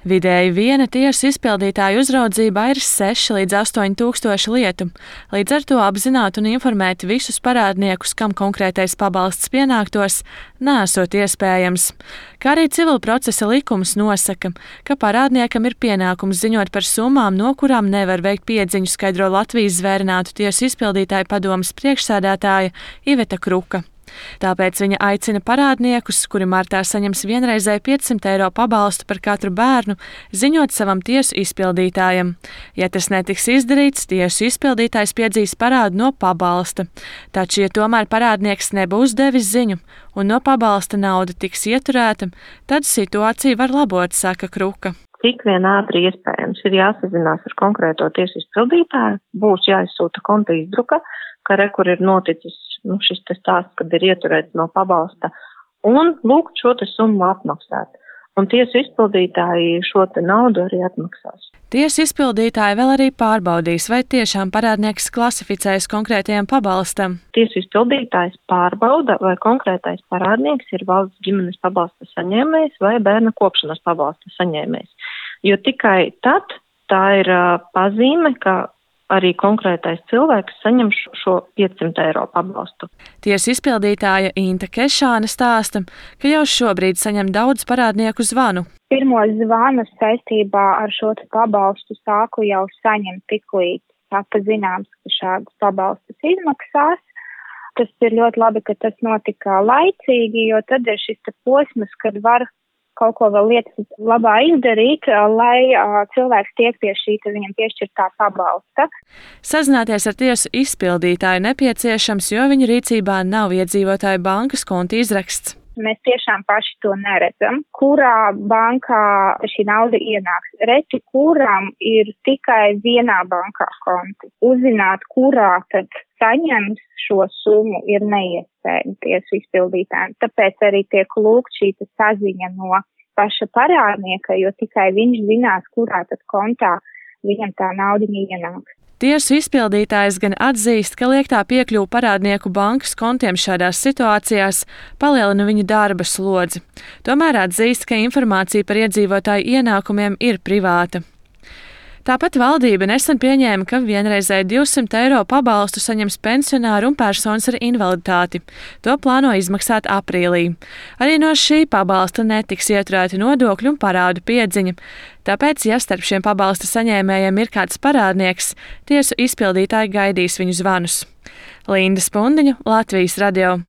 Vidēji viena tiesu izpildītāja uzraudzībā ir 6 līdz 8 tūkstoši lietu. Līdz ar to apzināt un informēt visus parādniekus, kam konkrētais pabalsts pienāktos, nesot iespējams. Kā arī civila procesa likums nosaka, ka parādniekam ir pienākums ziņot par summām, no kurām nevar veikt piedziņu, skaidro Latvijas zvērinātu tiesu izpildītāju padomes priekšsēdētāja Iveta Kruka. Tāpēc viņa aicina parādniekus, kuri martā saņems vienreizēju 500 eiro pabalstu par katru bērnu, ziņot savam tiesu izpildītājam. Ja tas netiks izdarīts, tiesu izpildītājs piedzīs parādu no pabalsta. Taču, ja tomēr parādnieks nebūs devis ziņu un no pabalsta nauda tiks ieturēta, tad situācija var labot, saka Kruka. Cik vien ātri iespējams ir jāsazinās ar konkrēto tiesu izpildītāju, būs jāizsūta konta izdruka, ka kur ir noticis šis stāsts, kad ir ieturēts no pabalsta, un lūgt šo summu atmaksāt. Un tiesu izpildītāji šo naudu arī atmaksās. Tiesu izpildītāji vēl arī pārbaudīs, vai tiešām parādnieks klasificējas konkrētajam pabalstam. Tiesu izpildītājs pārbauda, vai konkrētais parādnieks ir valsts ģimenes pabalsta saņēmējs vai bērna kopšanas pabalsta saņēmējs. Jo tikai tad tā ir pazīme, ka arī konkrētais cilvēks saņem šo 500 eiro pabalstu. Tiesu izpildītāja Inta Kešāne stāsta, ka jau šobrīd saņem daudz parādnieku zvanu. Pirmos zvanus saistībā ar šo pabalstu sāku jau saņemt tiklīdz tapa zināms, ka šādas pabalstus izmaksās. Tas ir ļoti labi, ka tas notika laicīgi, jo tad ir šis posms, kad var kaut ko vēl lietas labā izdarīt, lai cilvēks tiek pie šī viņam piešķirtā pabalsta. Sazināties ar tiesu izpildītāju nepieciešams, jo viņa rīcībā nav iedzīvotāju bankas konta izraksts. Mēs tiešām paši to neredzam, kurā bankā šī nauda ienāks. Reti, kuram ir tikai vienā bankā konti. Uzzināt, kurā tad saņems šo summu, ir neiespējami tiesu izpildītājiem. Tāpēc arī tiek lūgt šī saziņa no paša parādnieka, jo tikai viņš zinās, kurā tad kontā viņam tā naudiņa ienāks. Tiesu izpildītājs gan atzīst, ka liektā piekļuve parādnieku bankas kontiem šādās situācijās palielina viņu darba slodzi. Tomēr atzīst, ka informācija par iedzīvotāju ienākumiem ir privāta. Tāpat valdība nesen pieņēma, ka vienreizēji 200 eiro pabalstu saņems pensionāri un personas ar invaliditāti. To plāno izmaksāt aprīlī. Arī no šī pabalsta netiks ieturēti nodokļu un parādu piedziņa. Tāpēc, ja starp šiem pabalsta saņēmējiem ir kāds parādnieks, tiesu izpildītāji gaidīs viņu zvanus. Linda Spundiņa, Latvijas radio.